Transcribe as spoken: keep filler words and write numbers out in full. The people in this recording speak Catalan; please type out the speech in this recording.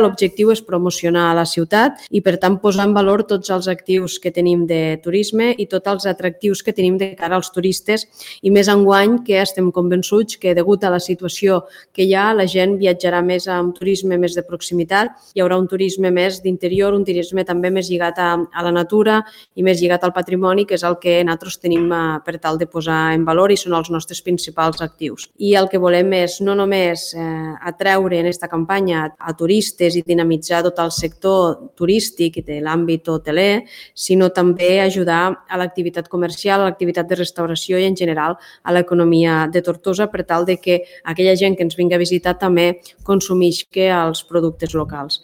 L'objectiu és promocionar la ciutat i, per tant, posar en valor tots els actius que tenim de turisme i tots els atractius que tenim de cara als turistes, i més enguany que estem convençuts que, degut a la situació que hi ha, la gent viatjarà més amb turisme més de proximitat, hi haurà un turisme més d'interior, un turisme també més lligat a, a la natura i més lligat al patrimoni, que és el que nosaltres tenim per tal de posar en valor i són els nostres principals actius. I el que volem és no només eh, atreure en aquesta campanya a turistes i dinamitzar tot el sector turístic i de l'àmbit hoteler, sinó també ajudar a l'activitat comercial, a l'activitat de restauració i, en general, a l'economia de Tortosa per tal de que aquella gent que ens vingui a visitar també consumisca els productes locals.